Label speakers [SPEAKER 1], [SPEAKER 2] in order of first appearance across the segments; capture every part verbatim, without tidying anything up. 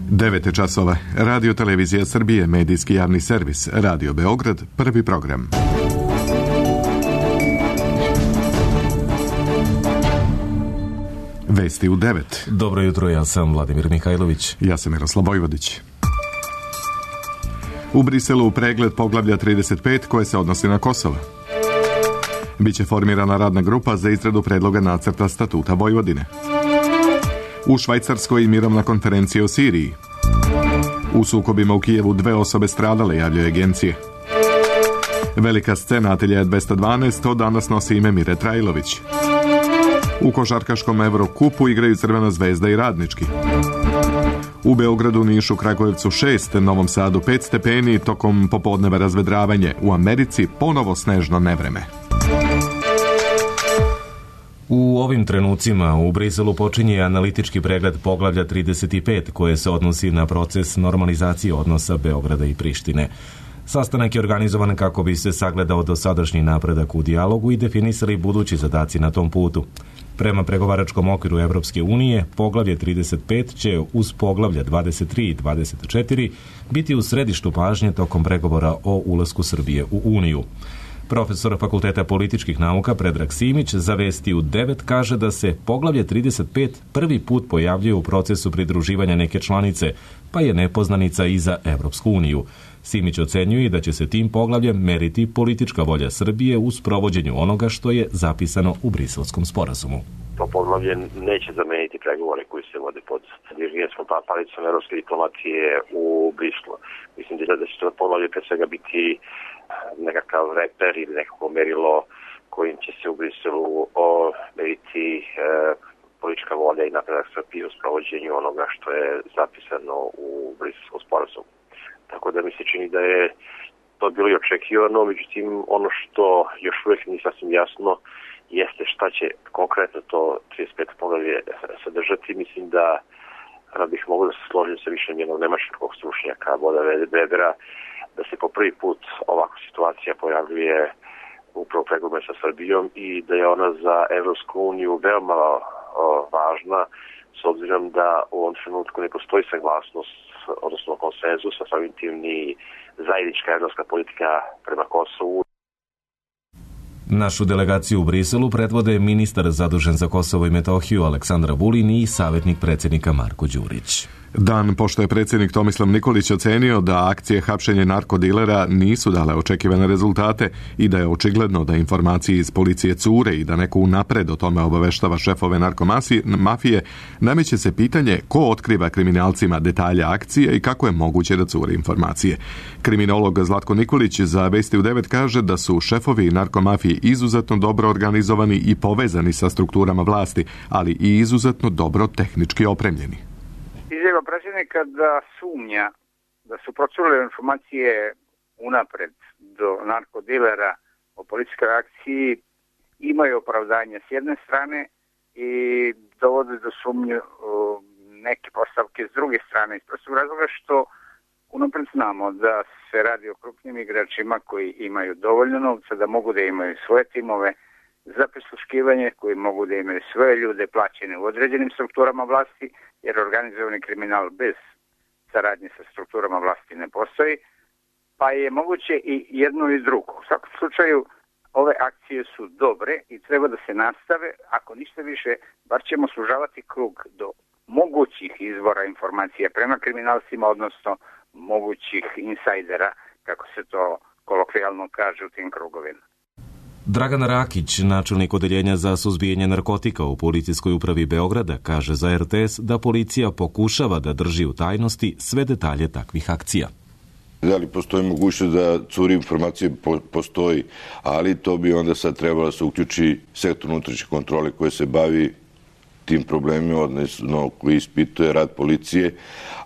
[SPEAKER 1] devet časova. Radio Televizija Srbije, medijski javni servis, Radio Beograd, prvi program. Vesti u devet.
[SPEAKER 2] Dobro jutro, ja sam Vladimir Mihajlović.
[SPEAKER 1] Ja sam Miroslav Vojvodić. U Briselu pregled poglavlja trideset pet koje se odnosi na Kosovo. Biće formirana radna grupa za izradu predloga nacrta statuta Vojvodine. U Švajcarskoj mirovna konferencija o Siriji. U sukobima u Kijevu dve osobe stradale, javljaju agencije. Velika scena Atelje dvesta dvanaest, to danas nosi ime Mire Trajlović. U košarkaškom Evrokupu igraju Crvena zvezda i Radnički. U Beogradu, Nišu, Kragujevcu šest, Novom Sadu pet stepeni, tokom popodneva razvedravanje. U Americi ponovo snežno nevreme.
[SPEAKER 2] U ovim trenucima u Briselu počinje analitički pregled poglavlja trideset pet koje se odnosi na proces normalizacije odnosa Beograda i Prištine. Sastanak je organizovan kako bi se sagledao dosadašnji napredak u dijalogu i definisali budući zadaci na tom putu. Prema pregovaračkom okviru Evropske unije, poglavlje trideset pet će uz poglavlja dvadeset tri i dvadeset četiri biti u središtu pažnje tokom pregovora o ulasku Srbije u Uniju. Profesor Fakulteta političkih nauka Predrag Simić za Vesti u devet kaže da se poglavlje trideset pet prvi put pojavljuje u procesu pridruživanja neke članice, pa je nepoznanica i za Evropsku uniju. Simić ocenjuje da će se tim poglavljem meriti politička volja Srbije u sprovođenju onoga što je zapisano u Briselskom sporazumu.
[SPEAKER 3] To poglavlje neće zameniti pregovore koji se vode pod dirigentskom palicom evropske diplomatije u Briselu. Mislim da će to poglavlje pre svega biti nekakav reper ili nekako merilo kojim će se u Briselu meriti e, politička volja i napredak Srbije u sprovođenju onoga što je zapisano u Briselskom sporazumu. Tako da mi se čini da je to bilo i očekivano, međutim ono što još uvijek nije sasvim jasno jeste šta će konkretno to trideset pet poglavlje sadržati. Mislim da bih mogao da se složim sa više jednog nemačkog stručnjaka, Boda Webera, da se po prvi put ovakva situacija pojavljuje upravo pregovore sa Srbijom i da je ona za Evropsku uniju veoma o, važna, s obzirom da u ovom trenutku ne postoji saglasnost, odnosno konsenzus, a samim tim ni zajednička evropska politika prema Kosovu.
[SPEAKER 2] Našu delegaciju u Briselu predvode ministar zadužen za Kosovo i Metohiju Aleksandar Vulin i savjetnik predsjednika Marko Đurić.
[SPEAKER 1] Dan pošto je predsjednik Tomislav Nikolić ocenio da akcije hapšenja narkodilera nisu dale očekivane rezultate i da je očigledno da informacije iz policije cure i da neko unapred o tome obaveštava šefove narkomafije, nameće se pitanje ko otkriva kriminalcima detalje akcije i kako je moguće da cure informacije. Kriminolog Zlatko Nikolić za Vesti u devet kaže da su šefovi narkomafije izuzetno dobro organizovani i povezani sa strukturama vlasti, ali i izuzetno dobro tehnički opremljeni.
[SPEAKER 4] Izjava predsjednika da sumnja da su procurile informacije unapred do narkodilera o policijskoj akciji imaju opravdanje s jedne strane i dovode do sumnju neke postavke s druge strane. Iz prostog razloga što unapred znamo da se radi o krupnim igračima koji imaju dovoljno novca da mogu da imaju svoje timove za prisluškivanje, koji mogu da imaju svoje ljude plaćene u određenim strukturama vlasti, jer organizovani kriminal bez saradnje sa strukturama vlasti ne postoji, pa je moguće i jedno i drugo. U svakom slučaju, ove akcije su dobre i treba da se nastave, ako ništa više, bar ćemo sužavati krug do mogućih izvora informacija prema kriminalcima, odnosno mogućih insajdera, kako se to kolokvijalno kaže u tim krugovima.
[SPEAKER 2] Dragan Rakić, načelnik odeljenja za suzbijanje narkotika u Policijskoj upravi Beograda, kaže za er te es da policija pokušava da drži u tajnosti sve detalje takvih akcija.
[SPEAKER 5] Da li postoji mogućnost da curi informacije? Postoji, ali to bi onda sad trebalo da se uključi sektor unutrašnje kontrole koje se bavi tim problemima, odnosno koji ispituje rad policije,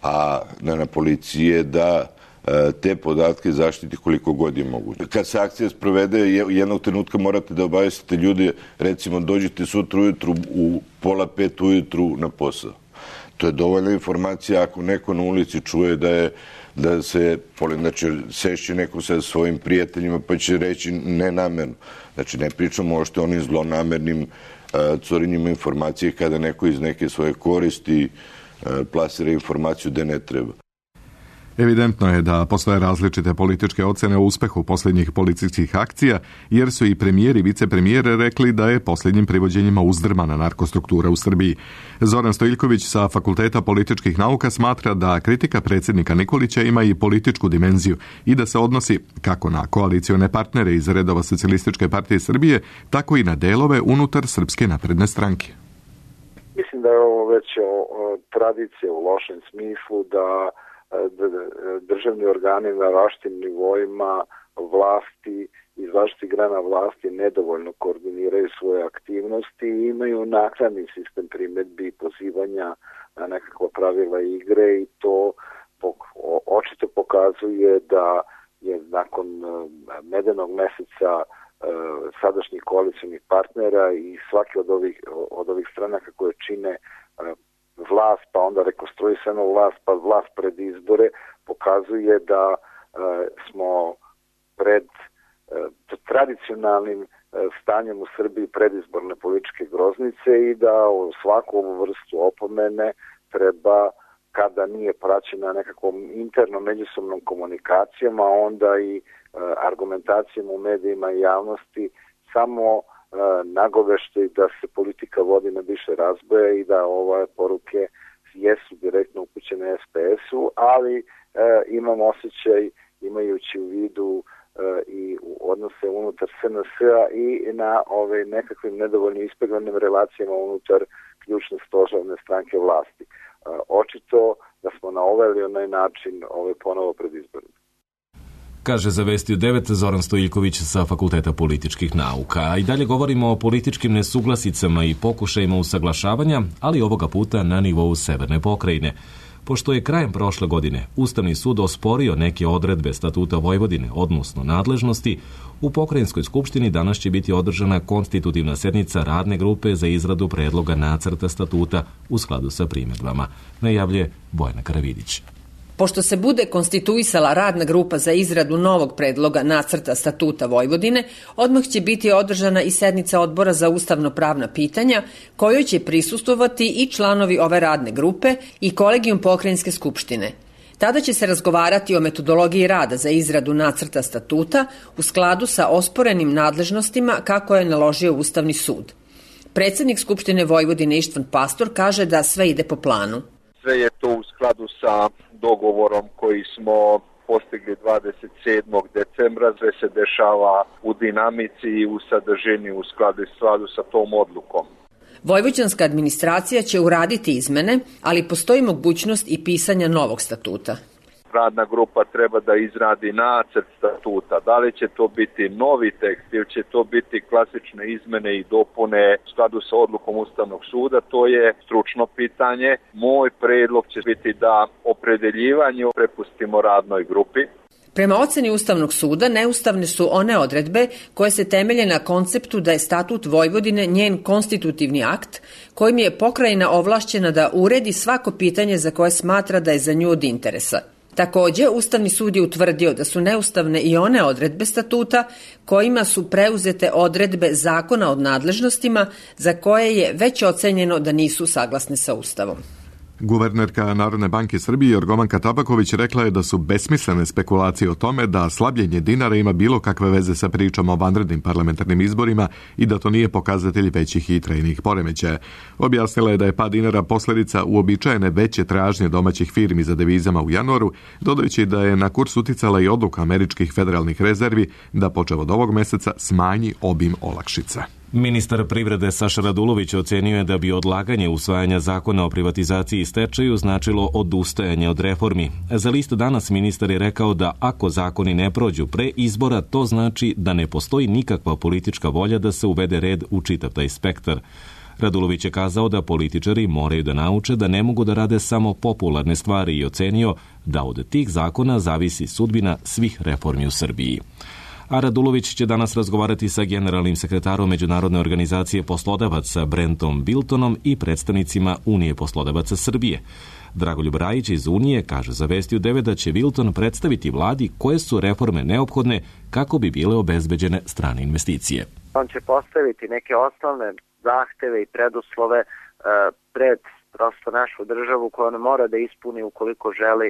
[SPEAKER 5] a ne na policije da te podatke zaštiti koliko god je moguće. Kad se akcija sprovede, jednog trenutka morate da obavestite ljude, recimo dođite sutra ujutru u pola pet ujutru na posao. To je dovoljna informacija ako neko na ulici čuje da je da se, znači, sešće neko sa svojim prijateljima pa će reći nenamerno. Znači, ne pričamo o što onim zlonamernim curenjima informacije kada neko iz neke svoje koristi plasira informaciju da ne treba.
[SPEAKER 1] Evidentno je da postoje različite političke ocene o uspehu posljednjih policijskih akcija, jer su i premijer i vicepremijer rekli da je posljednjim privođenjima uzdrmana narkostruktura u Srbiji. Zoran Stojiljković sa Fakulteta političkih nauka smatra da kritika predsjednika Nikolića ima i političku dimenziju i da se odnosi kako na koalicione partnere iz redova Socijalističke partije Srbije, tako i na delove unutar Srpske napredne stranke.
[SPEAKER 6] Mislim da je ovo već tradicija u lošem smislu da državni organi na različitim nivoima vlasti iz različitih grana vlasti nedovoljno koordiniraju svoje aktivnosti i imaju naknadni sistem primedbi i pozivanja na nekakva pravila igre i to očito pokazuje da je nakon medenog meseca sadašnjih koalicijnih partnera i svaki od ovih, od ovih stranaka koje čine vlast, pa onda rekonstruisana vlast, pa vlast pred izbore, pokazuje da e, smo pred e, tradicionalnim e, stanjem u Srbiji predizborne političke groznice i da u svaku ovu vrstu opomene treba, kada nije praćena nekakvom internom međusobnom komunikacijom, a onda i e, argumentacijom u medijima i javnosti, samo nagovešte da se politika vodi na više razboja i da ove poruke jesu direktno upućene es pe esu, ali e, imam osjećaj, imajući u vidu e, i odnose unutar es en es a i na ove nekakvim nedovoljno ispeglanim relacijama unutar ključne stožerne stranke vlasti. E, očito da smo na ovaj ili onaj način ove ponovo pred izborima.
[SPEAKER 2] Kaže za Vesti u devet Zoran Stojiljković sa Fakulteta političkih nauka. A i dalje govorimo o političkim nesuglasicama i pokušajima usaglašavanja, ali ovoga puta na nivou Severne pokrajine. Pošto je krajem prošle godine Ustavni sud osporio neke odredbe Statuta Vojvodine, odnosno nadležnosti, u Pokrajinskoj skupštini danas će biti održana konstitutivna sednica radne grupe za izradu predloga nacrta statuta u skladu sa primjedbama, najavljuje Bojana Karavidić.
[SPEAKER 7] Pošto se bude konstituisala radna grupa za izradu novog predloga nacrta statuta Vojvodine, odmah će biti održana i sednica Odbora za ustavno-pravna pitanja, kojoj će prisustvovati i članovi ove radne grupe i kolegijum Pokrajinske skupštine. Tada će se razgovarati o metodologiji rada za izradu nacrta statuta u skladu sa osporenim nadležnostima kako je naložio Ustavni sud. Predsjednik Skupštine Vojvodine Ištvan Pastor kaže da sve ide po planu.
[SPEAKER 8] Sve je to u skladu sa dogovorom koji smo postigli dvadeset sedmog decembra, sve se dešava u dinamici i u sadržini u skladu, skladu sa tom odlukom.
[SPEAKER 7] Vojvođanska administracija će uraditi izmene, ali postoji mogućnost i pisanja novog statuta.
[SPEAKER 8] Radna grupa treba da izradi nacrt statuta. Da li će to biti novi tekst ili će to biti klasične izmene i dopune u skladu sa odlukom Ustavnog suda, to je stručno pitanje. Moj predlog će biti da opredeljivanje prepustimo radnoj grupi.
[SPEAKER 7] Prema oceni Ustavnog suda, neustavne su one odredbe koje se temelje na konceptu da je Statut Vojvodine njen konstitutivni akt, kojim je pokrajina ovlašćena da uredi svako pitanje za koje smatra da je za nju od interesa. Također, Ustavni sud je utvrdio da su neustavne i one odredbe statuta kojima su preuzete odredbe zakona o nadležnostima za koje je već ocenjeno da nisu saglasne sa Ustavom.
[SPEAKER 1] Guvernerka Narodne banke Srbije Jorgovanka Tabaković rekla je da su besmislene spekulacije o tome da slabljenje dinara ima bilo kakve veze sa pričom o vanrednim parlamentarnim izborima i da to nije pokazatelj većih i trajnih poremećaja. Objasnila je da je pad dinara posljedica uobičajene veće tražnje domaćih firmi za devizama u januaru, dodajući da je na kurs uticala i odluka američkih federalnih rezervi da počev od ovog meseca smanji obim olakšica.
[SPEAKER 2] Ministar privrede Saša Radulović ocenio je da bi odlaganje usvajanja zakona o privatizaciji i stečaju značilo odustajanje od reformi. Za list Danas ministar je rekao da ako zakoni ne prođu pre izbora, to znači da ne postoji nikakva politička volja da se uvede red u čitav taj spektar. Radulović je kazao da političari moraju da nauče da ne mogu da rade samo popularne stvari i ocenio da od tih zakona zavisi sudbina svih reformi u Srbiji. A Radulović će danas razgovarati sa generalnim sekretarom Međunarodne organizacije poslodavaca Brentom Biltonom i predstavnicima Unije poslodavaca Srbije. Dragoljub Rajić iz Unije kaže za Vesti u devet da će Bilton predstaviti vladi koje su reforme neophodne kako bi bile obezbeđene strane investicije.
[SPEAKER 9] On će postaviti neke osnovne zahteve i preduslove pred prosto našu državu koja ona mora da ispuni ukoliko želi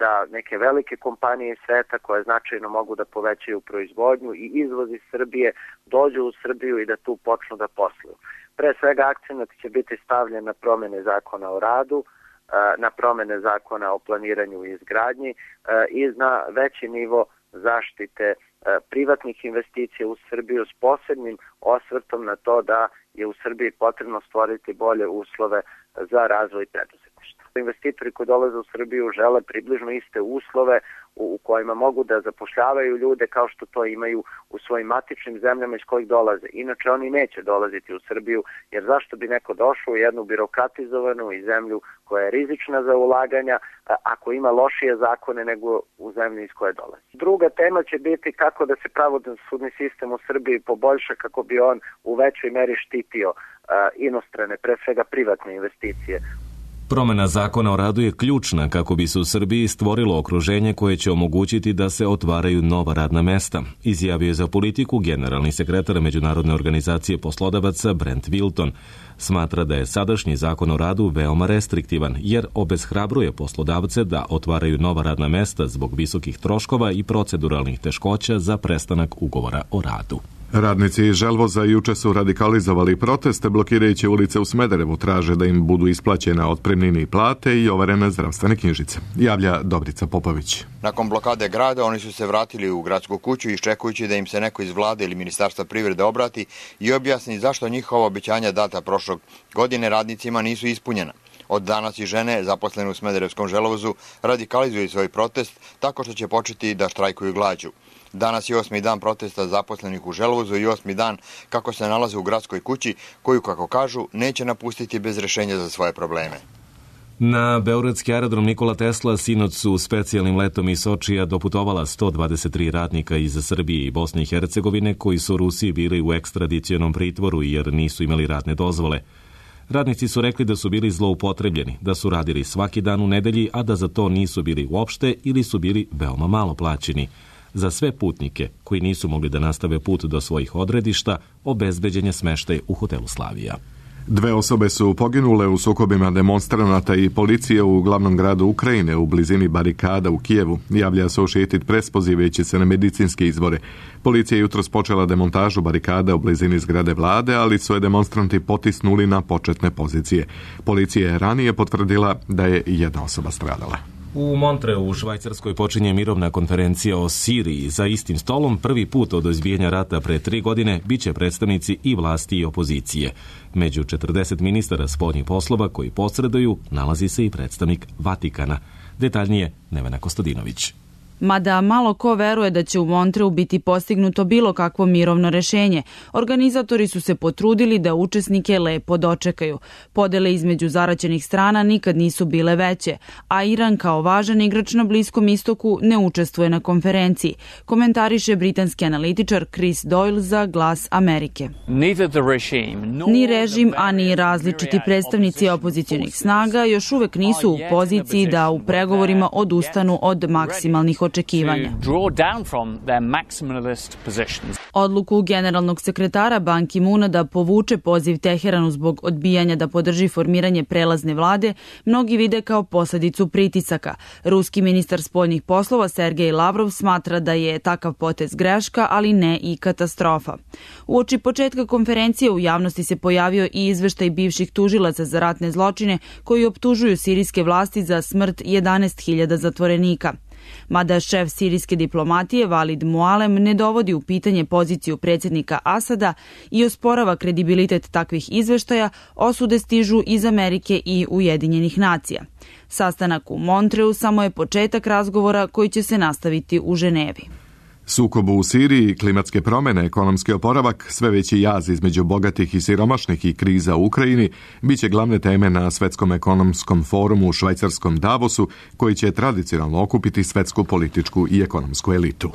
[SPEAKER 9] da neke velike kompanije sveta koje značajno mogu da povećaju proizvodnju i izvoz iz Srbije dođu u Srbiju i da tu počnu da posluju. Pre svega akcenat će biti stavljen na promene zakona o radu, na promene zakona o planiranju i izgradnji i na veći nivo zaštite privatnih investicija u Srbiju s posebnim osvrtom na to da je u Srbiji potrebno stvoriti bolje uslove za razvoj preduzetništva. Investitori koji dolaze u Srbiju žele približno iste uslove u kojima mogu da zapošljavaju ljude kao što to imaju u svojim matičnim zemljama iz kojih dolaze. Inače oni neće dolaziti u Srbiju, jer zašto bi neko došao u jednu birokratizovanu i zemlju koja je rizična za ulaganja ako ima lošije zakone nego u zemlji iz koje dolazi. Druga tema će biti kako da se pravosudni sistem u Srbiji poboljša kako bi on u većoj meri štitio inostrane, pre svega privatne investicije.
[SPEAKER 2] Promjena zakona o radu je ključna kako bi se u Srbiji stvorilo okruženje koje će omogućiti da se otvaraju nova radna mesta, izjavio je za Politiku generalni sekretar Međunarodne organizacije poslodavaca Brent Wilton. Smatra da je sadašnji zakon o radu veoma restriktivan jer obeshrabruje poslodavce da otvaraju nova radna mesta zbog visokih troškova i proceduralnih teškoća za prestanak ugovora o radu.
[SPEAKER 1] Radnici iz Želvoza juče su radikalizovali proteste blokirajući ulice u Smederevu, traže da im budu isplaćena otpremnine i plate i overene zdravstvene knjižice. Javlja Dobrica Popović.
[SPEAKER 10] Nakon blokade grada oni su se vratili u gradsku kuću iščekujući da im se neko iz vlade ili Ministarstva privrede obrati i objasni zašto njihova obećanja data prošlog godine radnicima nisu ispunjena. Od danas i žene zaposlene u Smederevskom Želvozu radikalizuju svoj protest tako što će početi da štrajkuju glađu. Danas je osmi dan protesta zaposlenih u Želvozu i osmi dan kako se nalaze u gradskoj kući koju, kako kažu, neće napustiti bez rešenja za svoje probleme.
[SPEAKER 2] Na beogradski aerodrom Nikola Tesla sinoć su specijalnim letom iz Sočija doputovala sto dvadeset tri radnika iz Srbije i Bosne i Hercegovine koji su u Rusiji bili u ekstradicionom pritvoru jer nisu imali radne dozvole. Radnici su rekli da su bili zloupotrebljeni, da su radili svaki dan u nedelji, a da za to nisu bili uopšte ili su bili veoma malo plaćeni. Za sve putnike koji nisu mogli da nastave put do svojih odredišta, obezbeđen je smeštaj u hotelu Slavija.
[SPEAKER 1] Dve osobe su poginule u sukobima demonstranata i policije u glavnom gradu Ukrajine u blizini barikada u Kijevu, javlja Associated Press pozivajući se na medicinske izvore. Policija je jutros počela demontažu barikada u blizini zgrade vlade, ali su je demonstranti potisnuli na početne pozicije. Policija je ranije potvrdila da je jedna osoba stradala.
[SPEAKER 2] U Montreu u Švajcarskoj počinje mirovna konferencija o Siriji. Za istim stolom prvi put od izbijanja rata pre tri godine biće predstavnici i vlasti i opozicije. Među četrdeset ministara spoljnih poslova koji posreduju nalazi se i predstavnik Vatikana. Detaljnije Nevena Kostadinović.
[SPEAKER 11] Mada malo ko veruje da će u Montreu biti postignuto bilo kakvo mirovno rešenje, organizatori su se potrudili da učesnike lepo dočekaju. Podele između zaraćenih strana nikad nisu bile veće, a Iran kao važan igrač na Bliskom istoku ne učestvuje na konferenciji, komentariše britanski analitičar Chris Doyle za Glas Amerike. Ni režim, a ni različiti predstavnici opozicionih snaga još uvek nisu u poziciji da u pregovorima odustanu od maksimalnih očekivanja. očekivanja. Odluku generalnog sekretara Ban Ki-moona da povuče poziv Teheranu zbog odbijanja da podrži formiranje prelazne vlade mnogi vide kao posledicu pritisaka. Ruski ministar spoljnih poslova Sergej Lavrov smatra da je takav potez greška, ali ne i katastrofa. Uoči početka konferencije u javnosti se pojavio i izveštaj bivših tužilaca za ratne zločine koji optužuju sirijske vlasti za smrt jedanaest hiljada zatvorenika. Mada šef sirijske diplomatije Valid Mualem ne dovodi u pitanje poziciju predsjednika Asada i osporava kredibilitet takvih izveštaja, osude stižu iz Amerike i Ujedinjenih nacija. Sastanak u Montreu samo je početak razgovora koji će se nastaviti u Ženevi.
[SPEAKER 1] Sukob u Siriji, klimatske promjene, ekonomski oporavak, sve veći jaz između bogatih i siromašnih i kriza u Ukrajini bit će glavne teme na Svetskom ekonomskom forumu u švajcarskom Davosu, koji će tradicionalno okupiti svetsku političku i ekonomsku elitu.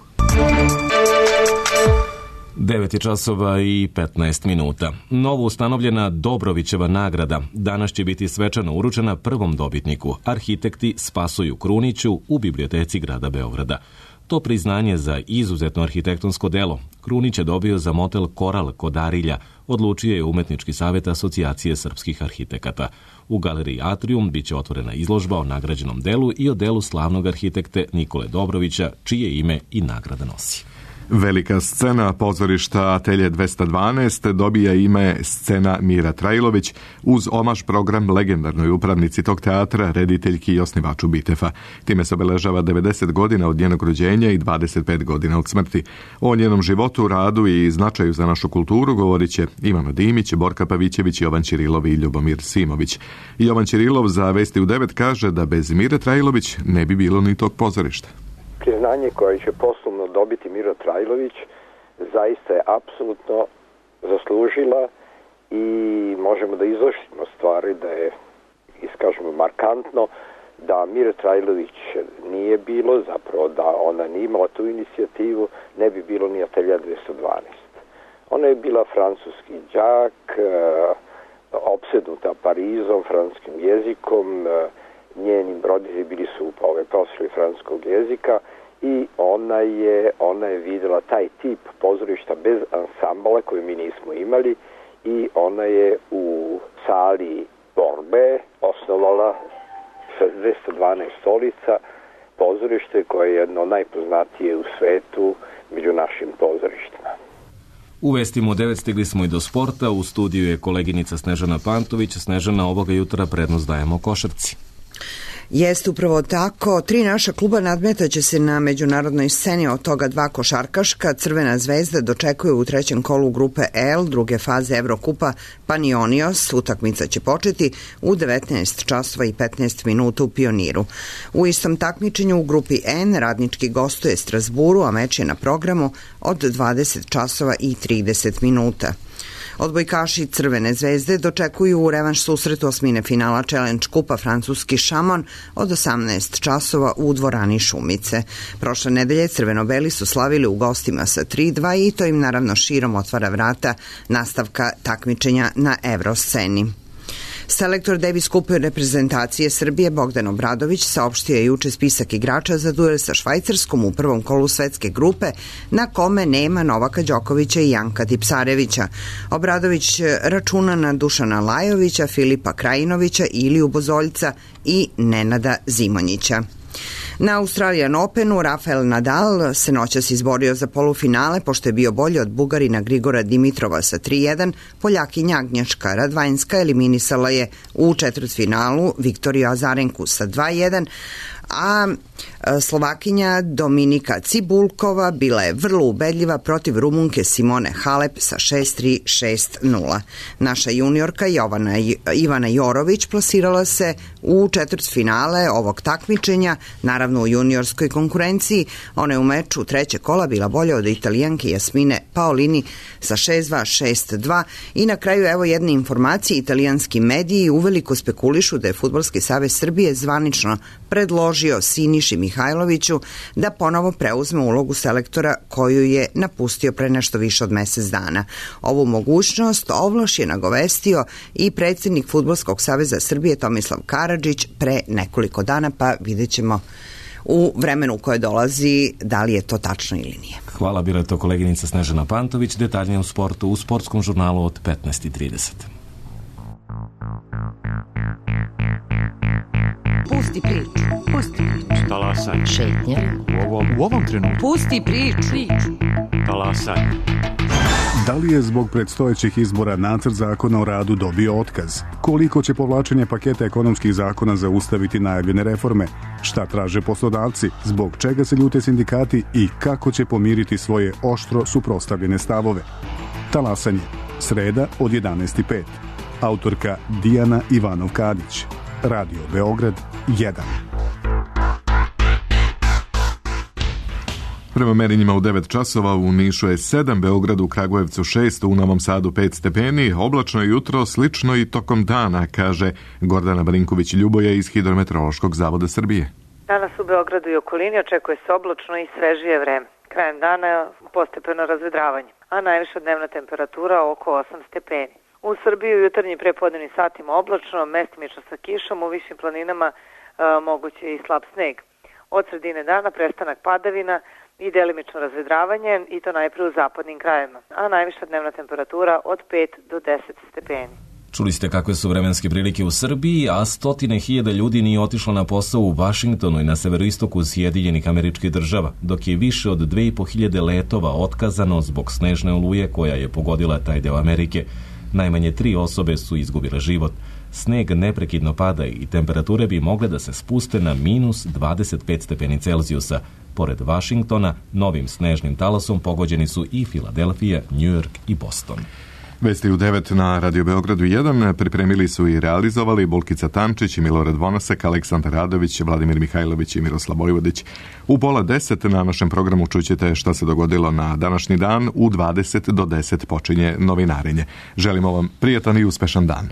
[SPEAKER 2] devet časova i petnaest minuta. Novo ustanovljena Dobrovićeva nagrada danas će biti svečano uručena prvom dobitniku, arhitekti Spasoju Kruniću u biblioteci grada Beograda. To priznanje za izuzetno arhitektonsko delo Krunić je dobio za motel Koral kod Arilja odlučio je Umetnički savjet Asocijacije srpskih arhitekata. U galeriji Atrium biće otvorena izložba o nagrađenom delu i o delu slavnog arhitekte Nikole Dobrovića, čije ime i nagrada nosi.
[SPEAKER 1] Velika scena pozorišta Atelje dvesta dvanaest dobija ime Scena Mira Trajlović uz omaž program legendarnoj upravnici tog teatra, rediteljki i osnivaču Bitefa. Time se obeležava devedeset godina od njenog rođenja i dvadeset pet godina od smrti. O njenom životu, radu i značaju za našu kulturu govorit će Ivana Dimić, Borka Pavićević, Jovan Ćirilov i Ljubomir Simović. Jovan Ćirilov za Vesti u devet kaže da bez Mire Trajlović ne bi bilo ni tog pozorišta.
[SPEAKER 12] Priznanje koje će poslovno dobiti Mira Trajlović zaista je apsolutno zaslužila i možemo da izvršimo stvari da je, iskažemo markantno, da Mira Trajlović nije bilo, zapravo da ona nije imala tu inicijativu, ne bi bilo ni Atelja dvesta dvanaest. Ona je bila francuski đak, opsednuta Parizom, francuskim jezikom, njeni roditelji bili su ove profesori francuskog jezika i ona je, ona je videla taj tip pozorišta bez ansambala koji mi nismo imali i ona je u sali Borbe osnovala dvesta dvanaest stolica pozorište koje je jedno najpoznatije u svetu među našim pozorištima.
[SPEAKER 2] U Vestima u devet stigli smo i do sporta. U studiju je koleginica Snežana Pantović. Snežana, ovoga jutra prednost dajemo košarci.
[SPEAKER 13] Jeste upravo tako. Tri naša kluba nadmetaće se na međunarodnoj sceni, od toga dva košarkaška. Crvena zvezda dočekuje u trećem kolu grupe L, druge faze Evrokupa Panionios. Utakmica će početi u devetnaest časova i petnaest minuta u Pioniru. U istom takmičenju u grupi N Radnički gostuje Strasburu, a meč je na programu od dvadeset časova i trideset minuta. Odbojkaši Crvene zvezde dočekuju u revanš susretu osmine finala Challenge kupa francuski Šamon od osamnaest časova u dvorani Šumice. Prošle nedelje crveno-beli su slavili u gostima sa tri dva i to im naravno širom otvara vrata nastavka takmičenja na Evrosceni. Selektor Davis Cup reprezentacije Srbije Bogdan Obradović saopštio je juče spisak igrača za duel sa Švajcarskom u prvom kolu svetske grupe na kome nema Novaka Đokovića i Janka Tipsarevića. Obradović računa na Dušana Lajovića, Filipa Krajinovića, Iliju Bozoljca i Nenada Zimonjića. Na Australian Openu Rafael Nadal se noćas izborio za polufinale pošto je bio bolji od Bugarina Grigora Dimitrova sa tri jedan. Poljakinja Agnješka Radvanjska eliminisala je u četvrtfinalu Viktoriju Azarenku sa dva jedan, a Slovakinja Dominika Cibulkova bila je vrlo ubedljiva protiv Rumunke Simone Halep sa šest tri, šest nula. Naša juniorka Jovana, Ivana Jorović plasirala se u četvrtfinale ovog takmičenja, naravno u juniorskoj konkurenciji. Ona je u meču trećeg kola bila bolja od Italijanke Jasmine Paolini sa šest dva, šest dva i na kraju evo jedne informacije. Italijanski mediji uveliko spekulišu da je Fudbalski savez Srbije zvanično predložio Siniši Mihajloviću da ponovo preuzme ulogu selektora koju je napustio pre nešto više od mesec dana. Ovu mogućnost ovlaš je nagovestio i predsjednik Fudbalskog saveza Srbije Tomislav Karadžić pre nekoliko dana, pa vidjet ćemo u vremenu koje dolazi da li je to tačno ili nije.
[SPEAKER 2] Hvala, bila je to koleginica Snežana Pantović. Detaljnije u sportu u sportskom žurnalu od petnaest i trideset.
[SPEAKER 14] Pusti priču. Pusti priču.
[SPEAKER 15] Talasaj.
[SPEAKER 14] Šetnja.
[SPEAKER 15] U ovom, u ovom trenutku.
[SPEAKER 14] Pusti priču. priču.
[SPEAKER 15] Talasaj.
[SPEAKER 16] Da li je zbog predstojećih izbora nacrt zakona o radu dobio otkaz? Koliko će povlačenje paketa ekonomskih zakona zaustaviti najavljene reforme? Šta traže poslodavci? Zbog čega se ljute sindikati i kako će pomiriti svoje oštro suprotstavljene stavove? Talasanje. Sreda od jedanaest i pet. Autorka Dijana Ivanov-Kadić. Radio Beograd jedan.
[SPEAKER 1] Prema merenjima u devet časova u Nišu je sedam, Beogradu, u Kragujevcu šest, u Novom Sadu pet stepeni, oblačno je jutro, slično i tokom dana, kaže Gordana Barinković-Ljuboja iz Hidrometeorološkog zavoda Srbije.
[SPEAKER 17] Danas u Beogradu i okolini očekuje se oblačno i svežije vreme. Krajem dana postepeno razvedravanje, a najviša dnevna temperatura oko osam stepeni. U Srbiji u jutarnjim prepodnevnim satima oblačno, mestimično sa kišom, u višim planinama e, moguće i slab sneg. Od sredine dana prestanak padavina, i delimično razvedravanje i to najpre u zapadnim krajevima, a najviša dnevna temperatura od pet do deset stepeni.
[SPEAKER 2] Čuli ste kakve su vremenske prilike u Srbiji, a stotine hiljada ljudi nije otišlo na posao u Vašingtonu i na severoistoku Sjedinjenih Američkih Država, dok je više od dve i po hiljade letova otkazano zbog snežne oluje koja je pogodila taj deo Amerike. Najmanje tri osobe su izgubile život. Sneg neprekidno pada i temperature bi mogle da se spuste na minus dvadeset pet stepeni Celzijusa. Pored Vašingtona, novim snežnim talasom pogođeni su i Filadelfija, Njujork i Boston.
[SPEAKER 1] Vesti u devet na Radio Beogradu jedan pripremili su i realizovali Bulkica Tančić i Milorad Vonasek, Aleksandar Radović, Vladimir Mihajlović i Miroslav Vojvodić. U pola deset na našem programu čućete šta se dogodilo na današnji dan. U dvadeset do deset počinje novinarenje. Želimo vam prijatan i uspešan dan.